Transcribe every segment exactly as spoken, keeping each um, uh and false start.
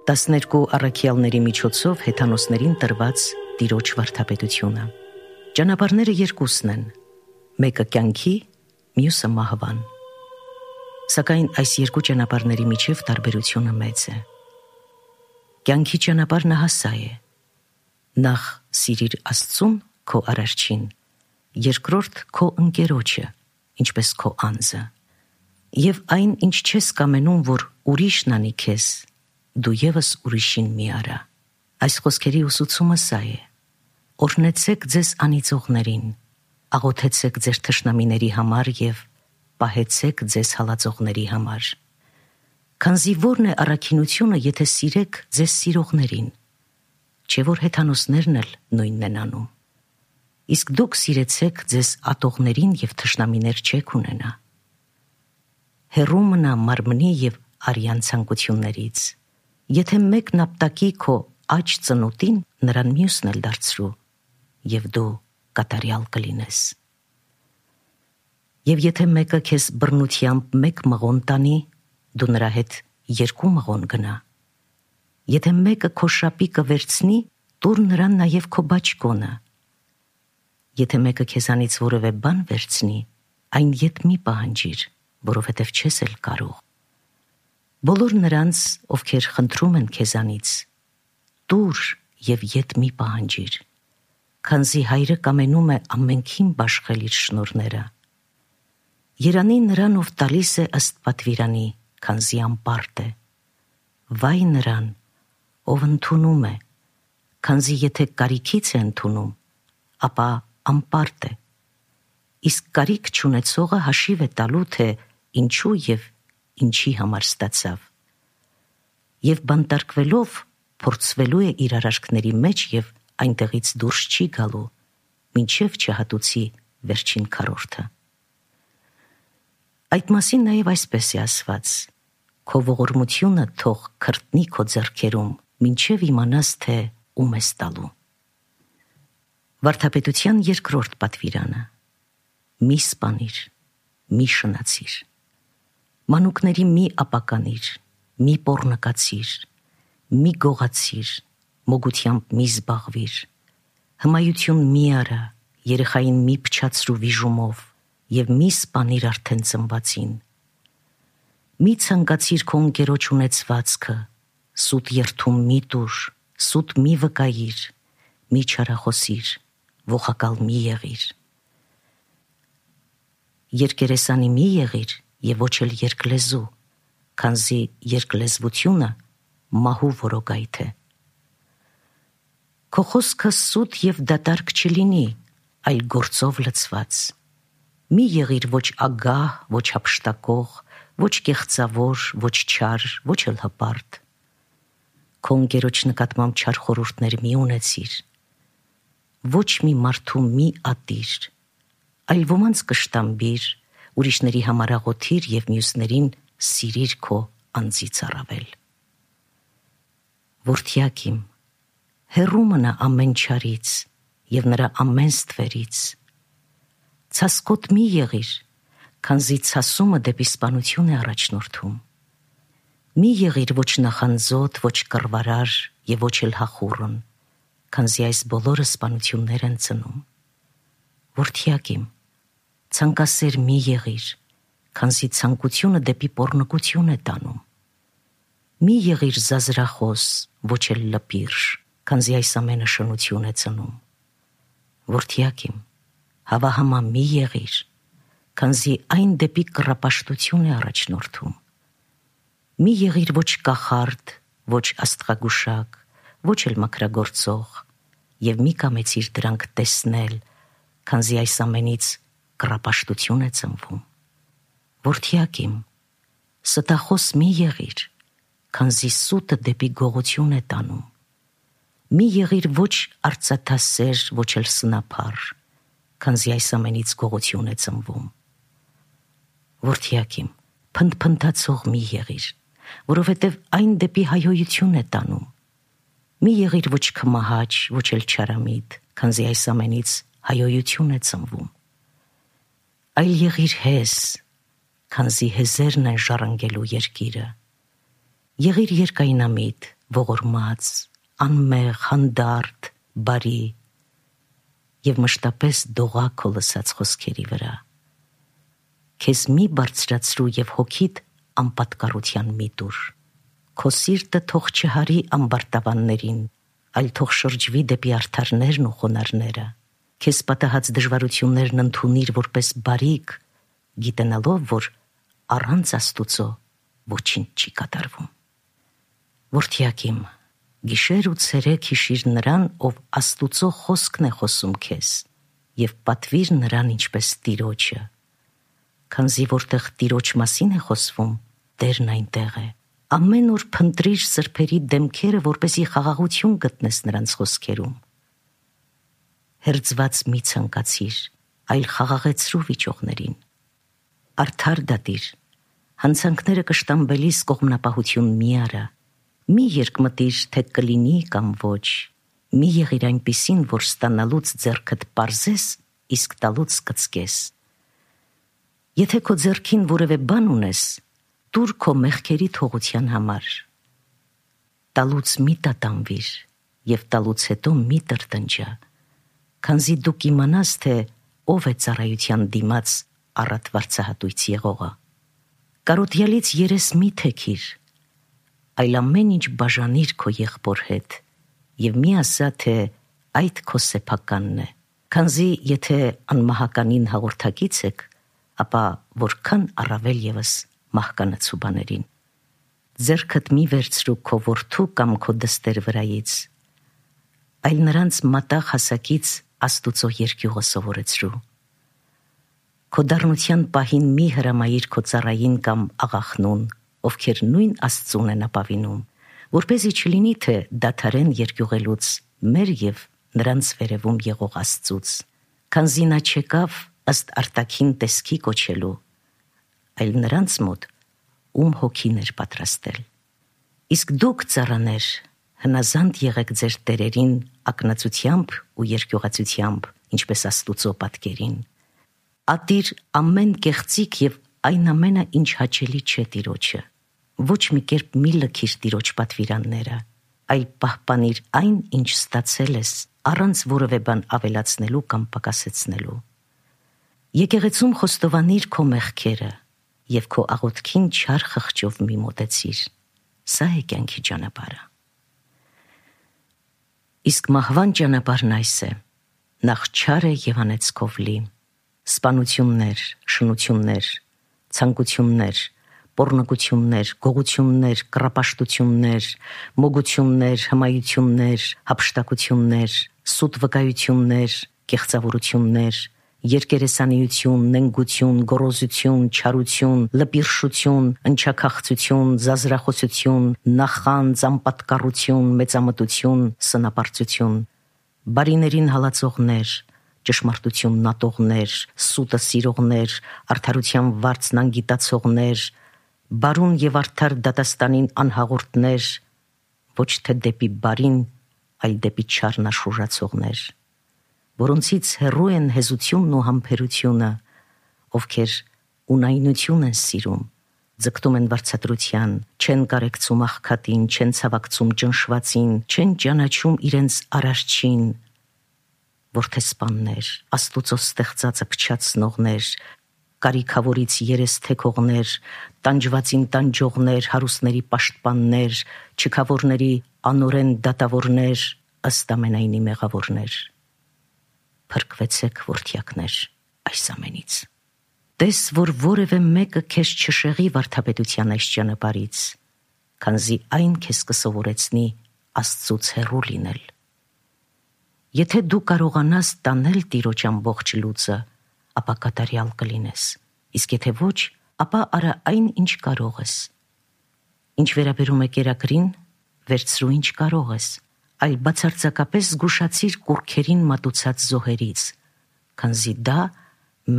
տասներկու առաքյալների միջոցով հեթանոսներին տրված տիրոջ վարդապետությունը։ Ճանապարհները երկուսն են, մեկը կյանքի, մյուսը մահվան։ Սակայն այս երկու ճանապարհների միջև տարբերությունը մեծ է։ Կյանքի ճանապարհը հասա է։ Նախ սիրիր Աստծուն քո արարչին, երկրորդ քո ընկերոջը, ինչպես քո անձը։ Եվ այն, ինչ չես կամենում, որ ուրիշն անի քեզ, դու ևս ուրիշին մի արա։ Այս խոսքերի ուսուցումը սա է. օրհնեցեք ձեզ անիծողներին, աղոթեցեք ձեր թշնամիների համար և պահեցեք ձեզ հալածողների համար։ Քանզի ո՞րն է առաքինությունը, եթե սիրեք ձեզ սիրողներին, չէ՞ որ հեթանոսներն էլ նույնն են անում։ Իսկ դուք սիրեցեք ձեզ ատողներին և թշնամիներ չեք ունենա։ Հեռու մնա մարմնի և արյան ցանկություններից։ Եթե մեկն ապտակի քո աջ ծնոտին, նրան մյուսն էլ դարձրու, և դու կատարյալ կլինես։ Եվ եթե մեկը քեզ բռնությամբ մեկ մղոն տանի, դու նրա հետ երկու մղոն գնա։ Եթե մեկը քո շապիկը վերցնի, տուր նրան նաև քո բաճկոնը։ Եթե մեկը քեզանից որևէ բան վերցնի, այն ետ մի պահանջիր, որովհետև չես էլ կարող։ Բոլոր նրանց, ովքեր խնդրում են քեզանից, տուր և ետ մի պահանջիր, քանզի Հայրը կամենում է ամենքին բաշխել իր շնորհները։ Երանի նրան, ով տալիս է ըստ պատվիրանի, քանզի անպարտ է։ Վայ նրան, ով ընդունում է, քանզի եթե կարիքից է ընդունում, ապա անպարտ է։ Իսկ կարիք չունեցողը հաշիվ է տալու, թե ինչու և ինչի համար ստացավ։ Եվ բանտարկվելով փորձվելու է իր արարքների մեջ և այնտեղից դուրս չի գալու, մինչև չհատուցի վերջին քառորդը։ Այդ մասին նաև այսպես է ասված. քո ողորմությունը թող քրտնի քո ձեռքերում, մինչև իմանաս, թե ում ես տալու։ Վարդապետության երկրորդ պատվիրանը. մի սպանիր, մի շնացիր, մանուկների մի ապականիր, մի պոռնկացիր, մի գողացիր, մոգությամբ մի զբաղվիր, հմայություն մի արա, երեխային մի փչացրու վիժումով և մի սպանիր արդեն ծնվածին։ Մի ցանկացիր քո ընկերոջ ունեցվածքը, սուտ երդում մի տուր, սուտ մի վկայիր, մի չարախոսիր, ողակալ մի եղիր։ Երկերեսանի մի եղիր և ոչ էլ երկլեզու, քանզի երկլեզվությունը մահու որոգայթ է։ Քո խոսքը սուտ և դատարկ չլինի, այլ գործով լցված։ Մի եղիր ոչ ագահ, ոչ հափշտակող, ոչ կեղծավոր, ոչ չար, ոչ էլ հպարտ։ Քո ընկերոջ նկատմամբ չար խորհուրդներ մի ունեցիր։ Ոչ մի մարդու մի ատիր, այլ ոմանց կշտամբիր, ուրիշների համար աղոթիր և մյուսներին սիրիր քո անձից առավել։ Որդյակ իմ, հեռու մնա ամեն չարից և նրա ամեն ստվերից։ Ցասկոտ մի եղիր, քանզի ցասումը դեպի սպանություն է առաջնորդում։ Մի եղիր ոչ նախանձոտ, ոչ կռվարար և ոչ էլ հախուռն, քանզի այս բոլորը սպանություններ են ծնում։ Որդյակ իմ, ցանկասեր մի եղիր, քանզի ցանկությունը դեպի պոռնկություն է տանում։ Մի եղիր զազրախոս, ոչ էլ լպիրշ, քանզի այս ամենը շնություն է ծնում։ Որդյակ իմ, հավահամա մի եղիր, քանզի այն դեպի կռապաշտություն է առաջնորդում։ Մի եղիր ոչ կախարդ, ոչ աստղագուշակ, ոչ էլ մաքրագործող, և մի կամեցիր դրանք տեսնել, քանզի այս ամենից կռապաշտություն է ծնվում։ Որդյակ իմ, ստախոս մի եղիր, քանզի սուտը դեպի գողություն է տանում։ Մի եղիր ոչ արծաթասեր, ոչ էլ սնափառ, քանզի այս ամենից գողություն է ծնվում։ Որդյակ իմ, փնթփնթացող մի եղիր, որովհետև այն դեպի հայհոյություն է տանում։ Մի եղիր ոչ քմահաճ, ոչ էլ չարամիտ, քանզի այս ամենից հայհոյություն է ծնվում։ Այլ եղիր հես, քանզի հեզերն են ժառանգելու երկիրը։ Եղիր երկայնամիտ, ողորմած, անմեղ, հանդարտ, բարի եւ մշտապես դողա քո լսած խոսքերի վրա։ Քեզ մի բարձրացրու եւ հոգիդ անպատկառության մի տուր։ Քո սիրտը թող չհարի ամբարտավաններին, այլ թող շրջվի դեպի արդարներն ու խոնարհները։ Քեզ պատահած դժվարություններն ընդունիր որպես բարիք, գիտենալով, որ առանց Աստուծո ոչինչ չի կատարվում։ Որդյակիմ, գիշեր ու ցերեկ հիշիր նրան, ով Աստուծո խոսքն է խոսում քեզ, եւ պատվիր նրան ինչպես Տիրոջը։ Քանզի որտեղ Տիրոջ մասին է խոսվում, Տերն այնտեղ է։ Ամեն օր փնտրիր սրբերի դեմքերը, որպեսզի խաղաղություն գտնես նրանց խոսքերում։ Հերձված մի ցանկացիր, այլ խաղաղեցրու վիճողներին։ Արդար դատիր, հանցանքները կշտամբելիս կողմնապահություն մի արա։ Մի երկմտիր, թե կլինի կամ ոչ, մի եղիր այնպիսին, որ ստանալուց ձեռքդ պարզես, իսկ տալուց կծկես։ Եթե քո ձեռքին որևէ բան ունես, տուր քո մեղքերի թողության համար։ Տալուց մի տատանվիր եւ տալուց հետո մի տրտնջա, քանզի դու կիմանաս, թե ով է ծառայության դիմաց առատ վարձահատույց եղողը։ Կարոտյալից երես մի թեքիր, այլ ամեն ինչ բաժանիր քո եղբոր հետ եւ մի ասա, թե այդ քո սեփականն է, քանզի եթե անմահականին հաղորդակից եք, ապա որքան առավել եւս մահկանացու բաներին։ Ձեռքդ մի վերցրու քո որդու կամ քո դստեր վրայից, այլ նրանց մատաղ հասակից Աստուծո երկյուղը սովորեցրու։ Քո դառնության պահին մի հրամայիր քո ծառային կամ աղախնուն, ովքեր նույն Աստծուն են ապավինում, որպեսզի չլինի, թե դադարեն երկյուղելուց մեր եւ նրանց վերևում եղող Աստծուց, քանզի նա չեկավ ըստ արտաքին տեսքի կոչելու, այլ նրանց մոտ, ում հոգին էր պատրաստել։ Իսկ դուք, ծառաներ, հնազանդ եղեք ձեր տերերին ակնածությամբ ու երկյուղացությամբ, ինչպես Աստուծո պատկերին։ Ատիր ամեն կեղծիք եւ այն ամենը, ինչ հաճելի չէ Տիրոջը։ Ոչ մի կերպ մի լքիր Տիրոջ պատվիրանները, այլ պահպանիր այն, ինչ ստացել ես, առանց որևէ բան ավելացնելու կամ պակասեցնելու։ Եկեղեցում խոստովանիր քո մեղքերը եւ քո աղոթքին չար խղճով մի մոտեցիր։ Սա է կյանքի ճանապարհը։ Իսկ մահվան ճանապարհն այս է. նախ չար է եւ անեծքով լի, սպանություններ, շնություններ, ցանկություններ, պոռնկություններ, գողություններ, կռապաշտություններ, մոգություններ, հմայություններ, հափշտակություններ, սուտ վկայություններ, կեղծավորություններ, երկերեսանիություն, նենգություն, գոռոզություն, չարություն, լպիրշություն, ընչաքաղցություն, զազրախոսություն, նախանձ, անպատկառություն, մեծամտություն, սնապարծություն, բարիներին հալածողներ, ճշմարտությունն ատողներ, սուտը սիրողներ, արդարության վարձն անգիտացողներ, բարուն եւ արդար դատաստանին անհաղորդներ, ոչ թե դեպի բարին, այլ դեպի չարն աշխուժացողներ, որոնցից հեռու են հեզությունն ու համբերությունը, ովքեր ունայնություն են սիրում, ձգտում են վարձատրության, չեն կարեկցում աղքատին, չեն ցավակցում ճնշվածին, չեն ճանաչում իրենց արարչին, որդեսպաններ, Աստուծո ստեղծածը փչացնողներ, կարիքավորից երես թեքողներ, տանջվածին տանջողներ, հարուստների պաշտպաններ, չքավորների անօրեն դատավորներ, ըստ ամենայնի մեղավորներ։ Փրկվեցեք, որդյակներ, այս ամենից։ Տես, որ որևէ մեկը քեզ չշեղի վարդապետության այս ճանապարհից, քանզի այն քեզ կսովորեցնի Աստծուց հեռու լինել։ Եթե դու կարողանաս տանել Տիրոջ ամբողջ լուծը, ապա կատարյալ կլինես, իսկ եթե ոչ, ապա արա այն, ինչ կարող ես։ Ինչ վերաբերում է կերակրին, վերցրու ինչ կարող ես, այլ բացարձակապես զգուշացիր կուռքերին մատուցած զոհերից, քանզի դա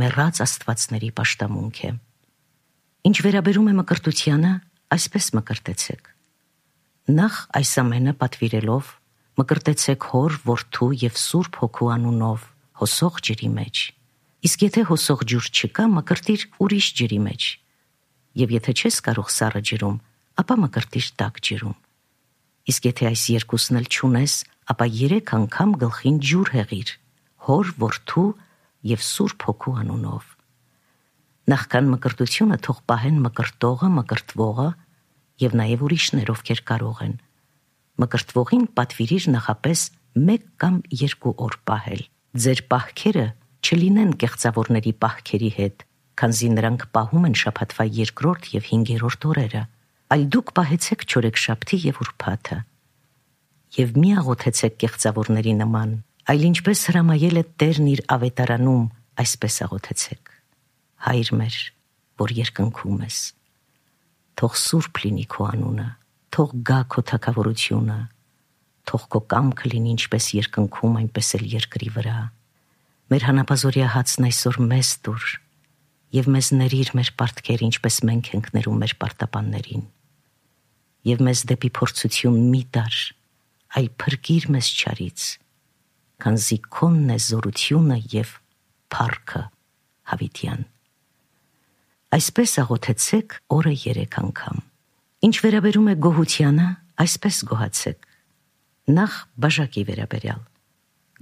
մեռած աստվածների պաշտամունք է։ Ինչ վերաբերում է մկրտությանը, այսպես մկրտեցեք։ Նախ այս ամենը պատվիրելով, մկրտեցեք հոր, որդու եւ Սուրբ Հոգու անունով, հոսող ջրի մեջ։ Իսկ եթե հոսող ջուր չկա, մկրտիր ուրիշ ջրի մեջ։ Եվ եթե չես կարող սառը ջրում, ապա մկրտիր տաք ջրում։ Իսկ եթե այս երկուսն էլ չունես, ապա երեք անգամ գլխին ջուր հեղիր, Հոր, Որդու եւ Սուրբ Հոգու անունով։ Նախքան մկրտությունը թող պահեն մկրտողը, մկրտվողը եւ նաեւ ուրիշներ, ովքեր կարող են։ Մկրտվողին պատվիրիր նախապես մեկ կամ երկու օր պահել։ Ձեր պահքերը չլինեն կեղծավորների պահքերի հետ, քանզի նրանք պահում են շաբաթվա երկրորդ եւ հինգերորդ օրերը, այլ դուք պահեցեք չորեքշաբթի եւ ուրբաթը։ Եվ մի աղոթեցեք կեղծավորների նման, այլ ինչպես հրամայել է Տերն իր ավետարանում, այսպես աղոթեցեք. Հայր մեր, որ երկնքում ես, թող սուրբ լինի քո անունը, թող գա քո թագավորությունը, թող քո կամքը լինի ինչպես երկնքում, այնպես էլ երկրի վրա։ Մեր հանապազօրյա հացն այսօր մեզ տուր, եւ մեզ ների՛ր մեր պարտքերը, ինչպես մենք ենք ներում մեր պարտապաններին, եւ մեզ դեպի փորձություն մի տար, այլ փրկիր մեզ չարից, քանզի քոնն է զորությունը եւ փառքը հավիտյան։ Այսպես աղոթեցեք օրը երեք անգամ։ Ինչ վերաբերում է գոհությանը, այսպես գոհացեք։ Նախ բաժակի վերաբերյալ։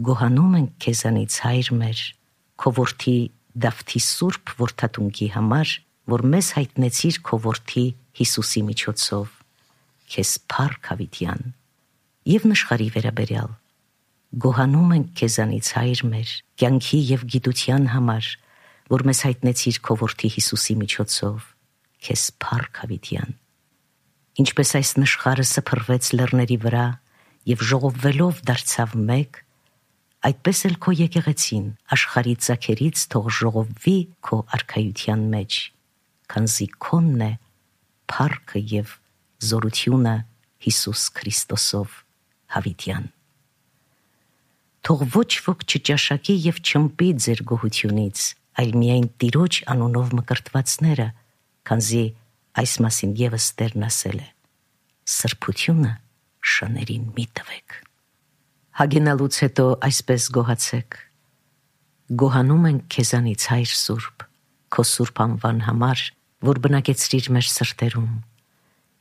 Գոհանում ենք քեզանից, Հայր մեր, քո որդի Դավթի սուրբ որդատունկի համար, որ մեզ հայտնեցիր քո որդի Հիսուսի միջոցով, քեզ փառք հավիտյան։ Եվ նշխարի վերաբերյալ։ Գոհանում ենք քեզանից, Հայր մեր, կյանքի եւ գիտության համար, որ մեզ հայտնեցիր քո որդի Հիսուսի միջոցով, քեզ փառք հավիտյան։ Ինչպես այս նշխարը սփռվեց լեռների վրա եւ ժողովվելով դարձավ մեկ, այդպես էլ քո եկեղեցին աշխարհի ծագերից թող ժողովվի քո արքայության մեջ, քանզի քոնն է փառքը եւ զորությունը Հիսուս Քրիստոսով հավիտյան։ Թող ոչ ոք չճաշակի եւ չմպի ձեր գոհությունից, այլ միայն Տիրոջ անունով մկրտվածները, քանզի այս մասին եւս Տերն ասել է. սրբությունը շներին մի տվեք։ Հագենալուց հետո այսպես գոհացեք. գոհանում ենք քեզանից, Հայր Սուրբ, քո սուրբ անվան համար, որ բնակեցրիր մեր սրտերում,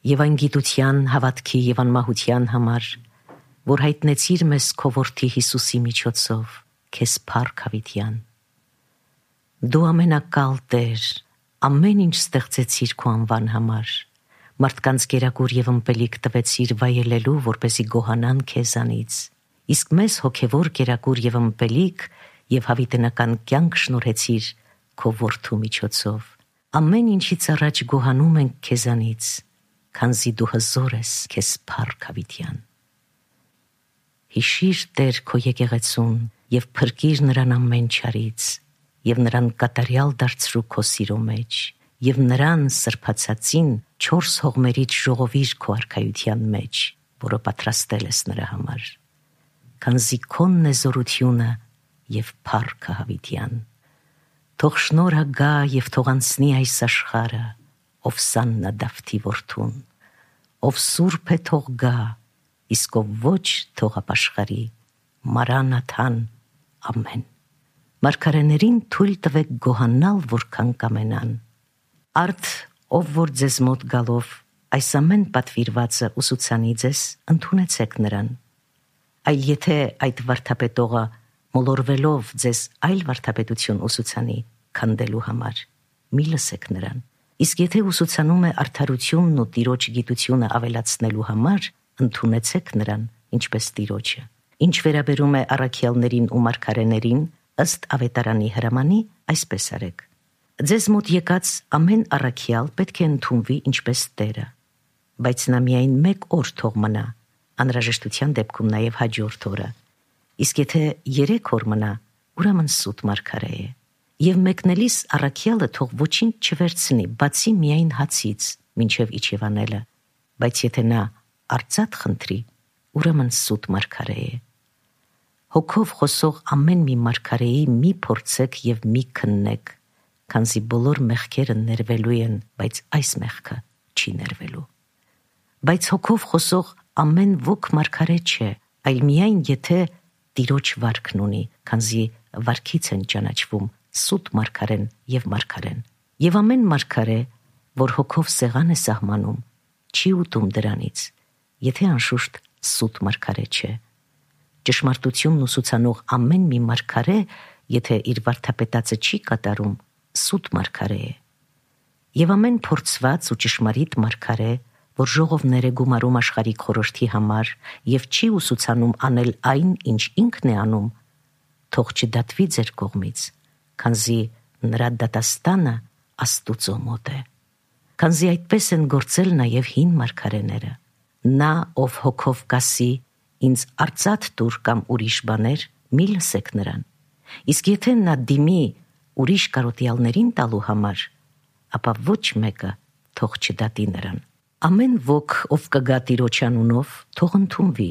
եւ այն գիտության, հավատքի եւ անմահության համար, որ հայտնեցիր մեզ քո որդի Հիսուսի միջոցով, քեզ փառք հավիտյան։ Դու ամենակալ Տեր, ամեն ինչ ստեղծեցիր քո անվան համար, մարդկանց կերակուր եւ ըմպելիք տվեցիր վայելելու, որպեսզի գոհանան քեզանից, իսկ մեզ հոգեվոր կերակուր եւ ըմպելիք եւ հավիտենական կյանք շնորհեցիր քո որդու միջոցով։ Ամեն ինչից առաջ գոհանում ենք քեզանից, քանզի դու հզոր ես, քեզ փառք հավիտյան։ Հիշիր Տեր քո եկեղեցուն եւ փրկիր նրան ամեն չարից, եւ նրան կատարյալ դարձրու քո սիրո մեջ, եւ նրան սրբացածին չորս հողմերից ժողովիր քո արքայության մեջ, որը պատրաստել ես նրա համար, քանզի քոնն է զորությունը եւ փառքը հավիտյան։ Թող շնորհը գա եւ թող անցնի այս աշխարհը, ով Սաննա Դավթի որդուն, ով սուրբ է թող գա, իսկ ով ոչ թող ապաշխարի, Մարանաթան, ամեն։ Մարգարեներին թույլ տվեք գոհանալ, որքան կամենան։ Արդ, ով որ ձեզ մոտ գալով այս ամեն պատվիրվածը ուսուցանի ձեզ, ընդունեցեք նրան։ Այլ եթե այդ վարդապետողը մոլորվելով ձեզ այլ վարդապետություն ուսուցանի քանդելու համար, մի լսեք նրան։ Իսկ եթե ուսուցանում է արդարությունն ու Տիրոջ գիտությունը ավելացնելու համար, ընդունեցեք նրան, ինչպես Տիրոջը։ Ինչ վերաբերում է առաքյալներին ու մարգարեներին, ըստ ավետարանի հրամանի, այսպես արեք. ձեզ մոտ եկած ամեն առաքյալ պետք է ընդունվի ինչպես Տերը, բայց նա միայն մեկ օր թող մնա, անհրաժեշտության դեպքում նաև հաջորդ օրը, իսկ եթե երեք օր մնա, ուրեմն սուտ մարգարե է, եւ մեկնելիս առաքյալը թող ոչինչ չվերցնի, բացի միայն հացից, մինչև իջևանելը, բայց եթե նա արծաթ խնդրի, ուրեմն սուտ մարգարե է։ Հոգով խոսող ամեն մի մարգարեի մի փորձեք եւ մի քննեք, քանզի բոլոր մեղքերը ներվելու են, բայց այս մեղքը չի ներվելու։ Բայց հոգով խոսող ամեն ոք մարգարե չէ, այլ միայն եթե Տիրոջ վարքն ունի, քանզի վարքից են ճանաչվում սուտ մարգարեն եւ մարգարեն։ Եվ ամեն մարգարե, որ հոգով սեղան է սահմանում, չի ուտում դրանից, եթե անշուշտ սուտ մարգարե չէ։ Ճշմարտությունն ուսուցանող ամեն մի մարգարե, եթե իր վարդապետածը չի կատարում, սուտ մարգարե է։ Եվ ամեն փորձված ու ճշմարիտ մարգարե, որ ժողովներ է գումարում աշխարհի խորհրդի համար եւ չի ուսուցանում անել այն, ինչ ինքն է անում, թող չդատվի ձեր կողմից, քանզի նրա դատաստանը Աստուծո մոտ է։ Քանզի այդպես են գործել նաեւ հին մարգարեները։ Նա, ով հոգով կասի, ինձ արծաթ տուր կամ ուրիշ բաներ, մի լսեք նրան։ Իսկ եթե նա դիմի ուրիշ կարոտյալներին տալու համար, ապա ոչ մեկը թող չդատի նրան։ Ամեն ոք, ով կգա Տիրոջ անունով, թող ընդունվի,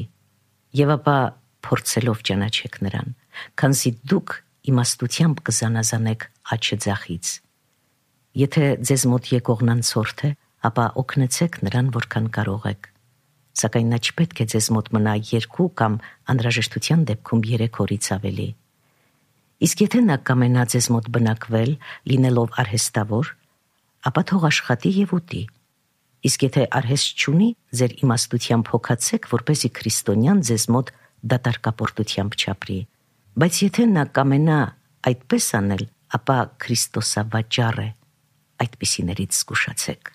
եւ ապա փորձելով ճանաչեք նրան, քանզի դուք իմաստությամբ կզանազանեք աչը ձախից։ Եթե ձեզ մոտ եկողն անցորդ է, ապա օգնեցեք նրան, որքան կարող եք։ Սակայն նա չպետք է ձեզ մոտ մնա երկու կամ անհրաժեշտության դեպքում երեք օրից ավելի։ Իսկ եթե նա կամենա ձեզ մոտ բնակվել, լինելով արհեստավոր, ապա թող աշխատի եւ ուտի։ Իսկ եթե արհեստ չունի, ձեր իմաստությամբ հոգացեք, որպեսզի քրիստոնյան ձեզ մոտ դատարկապորտությամբ չապրի։ Բայց եթե նա կամենա այդպես անել, ապա Քրիստոսավաճառ է, այդպիսիներից զգուշացեք։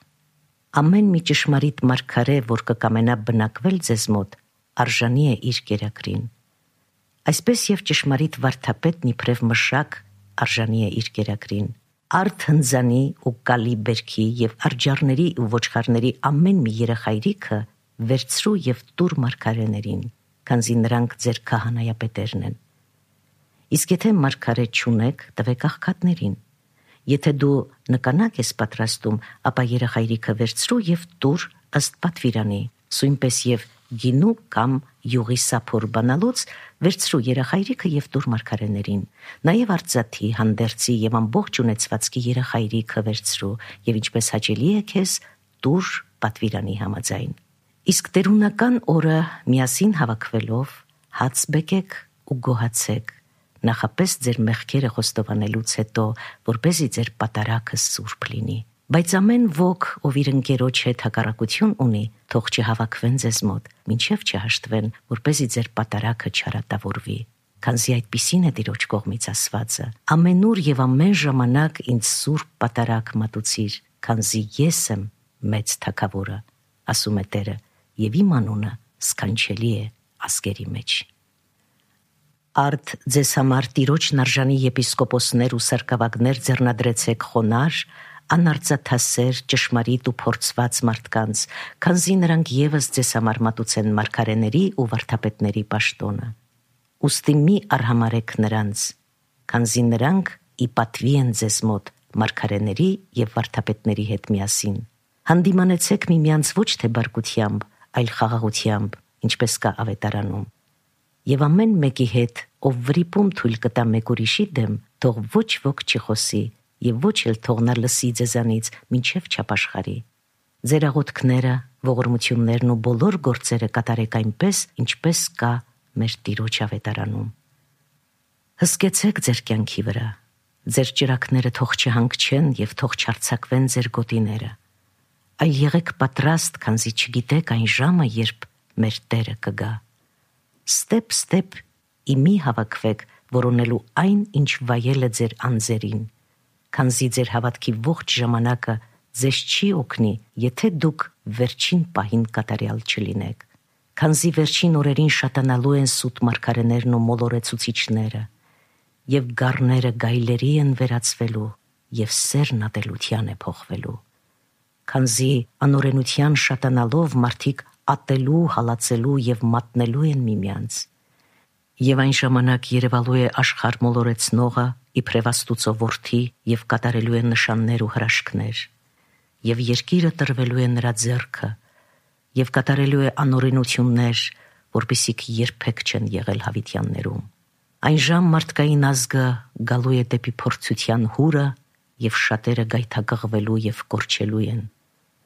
Ամեն մի ճշմարիտ մարգարե, որ կկամենա բնակվել ձեզ մոտ, արժանի է իր կերակրին։ Այսպես եւ ճշմարիտ վարդապետն իբրև մշակ արժանի է իր կերակրին։ Արդ հնձանի ու կալի բերքի եւ արջառների ու ոչխարների ամեն մի երեխայրիքը վերցրու եւ տուր մարգարեներին, քանզի նրանք ձեր քահանայապետերն են։ Իսկ եթե մարգարե չունեք, տվեք աղքատներին։ Եթե դու նկանակ ես պատրաստում, ապա երեխայրիքը վերցրու եւ տուր ըստ պատվիրանի, սույնպես եւ գինու կամ յուղի սափոր բանալուց վերցրու երեխայրիքը եւ տուր մարգարեներին։ Նաեւ արծաթի, հանդերձի եւ ամբողջ ունեցվածքի երեխայրիքը վերցրու եւ ինչպես հաճելի է քեզ, տուր պատվիրանի համաձայն։ Իսկ տերունական օրը միասին հավաքվելով հաց բեկեք ու գոհացեք, նախապես ձեր մեղքերը խոստովանելուց հետո, որպեսզի ձեր պատարագը սուրբ լինի։ Բայց ամեն ոք, ով իր ընկերոջ հետ հակառակություն ունի, թող չհավաքվեն ձեզ մոտ, մինչև չհաշտվեն, որպեսզի ձեր պատարագը չարատավորվի։ Քանզի այդպիսին է Տիրոջ կողմից ասվածը. ամենուր եւ ամեն ժամանակ ինձ սուրբ պատարագ մատուցիր, քանզի ես եմ մեծ թագավորը, ասում է Տերը, եւ իմ անունը սքանչելի է ազգերի մեջ։ Արդ ձեզ համար Տիրոջն արժանի եպիսկոպոսներ ու սարկավագներ ձեռնադրեցեք խոնար, անարծաթասեր, ճշմարիտ ու փորձված մարդկանց, քանզի նրանք եւս ձեզ համար մատուցեն մարգարեների ու վարդապետների պաշտոնը։ Ուստի մի արհամարեք նրանց, քանզի նրանք ի պատվի են ձեզ մոտ մարգարեների եւ վարդապետների հետ միասին։ Հանդիմանեցեք միմյանց ոչ թե բարկությամբ, այլ խաղաղությամբ, ինչպես կա ավետարանում։ Եվ ամեն մեկի հետ, ով վրիպում թույլ կտա մեկ ուրիշի դեմ, թող ոչ ոք չխոսի եւ ոչ էլ թող նա լսի ձեզանից մինչև չապաշխարի։ Ձեր աղոթքները, ողորմություններն ու բոլոր գործերը կատարեք այնպես, ինչպես կա մեր Տիրոջ ավետարանում։ Հսկեցեք ձեր կյանքի վրա, ձեր ճրակները թող չհանգչեն եւ թող չարձակվեն ձեր գոտիները, այլ եղեք պատրաստ, քանզի չգիտեք այն ժամը, երբ մեր Տերը կգա։ Ստեպ-ստեպ իմի հավաքվեք, որոնելու այն, ինչ վայել է ձեր անձերին, քանզի ձեր հավատքի ողջ ժամանակը ձեզ չի օգնի, եթե դուք վերջին պահին կատարյալ չլինեք, քանզի վերջին օրերին շատանալու են սուտ մարգարեներն ու մոլորեցուցիչները, եւ գառները գայլերի են վերածվելու, եւ սերն ատելության է փոխվելու, քանզի անօրենության շատանալով մարդիկ ատելու, հալածելու եւ մատնելու են միմյանց։ Եվ այն ժամանակ երևալու է աշխարհ մոլորեցնողը իբրև Աստուծո որդի եւ կատարելու է նշաններ ու հրաշքներ, եւ երկիրը տրվելու է նրա ձեռքը եւ կատարելու է անօրենություններ, որպիսիք երբեք չեն եղել հավիտյաններում։ Այն ժամ մարդկային ազգը գալու է դեպի փորձության հուրը եւ շատերը գայթակղվելու եւ կորչելու են։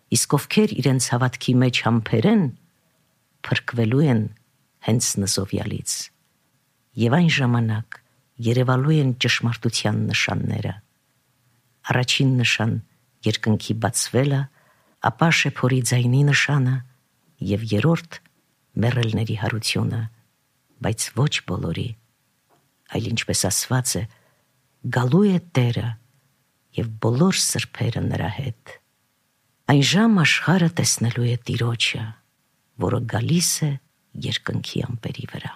Իսկ ովքեր իրենց հավատքի մեջ համբերեն, փրկվելու են հենց նզովյալից։ Եվ այն ժամանակ երևալու են ճշմարտության նշանները։ Առաջին նշան երկնքի բացվելը, ապա շեփորի ձայնի նշանը, եւ երրորդ մեռելների հարությունը, բայց ոչ բոլորի, այլ ինչպես ասված է, գալու է Տերը և բոլոր սրբերը նրա հետ։ Այն ժամ աշխարհը տեսնելու է Տիրոջը, որը գալիս է երկնքի ամպերի վրա։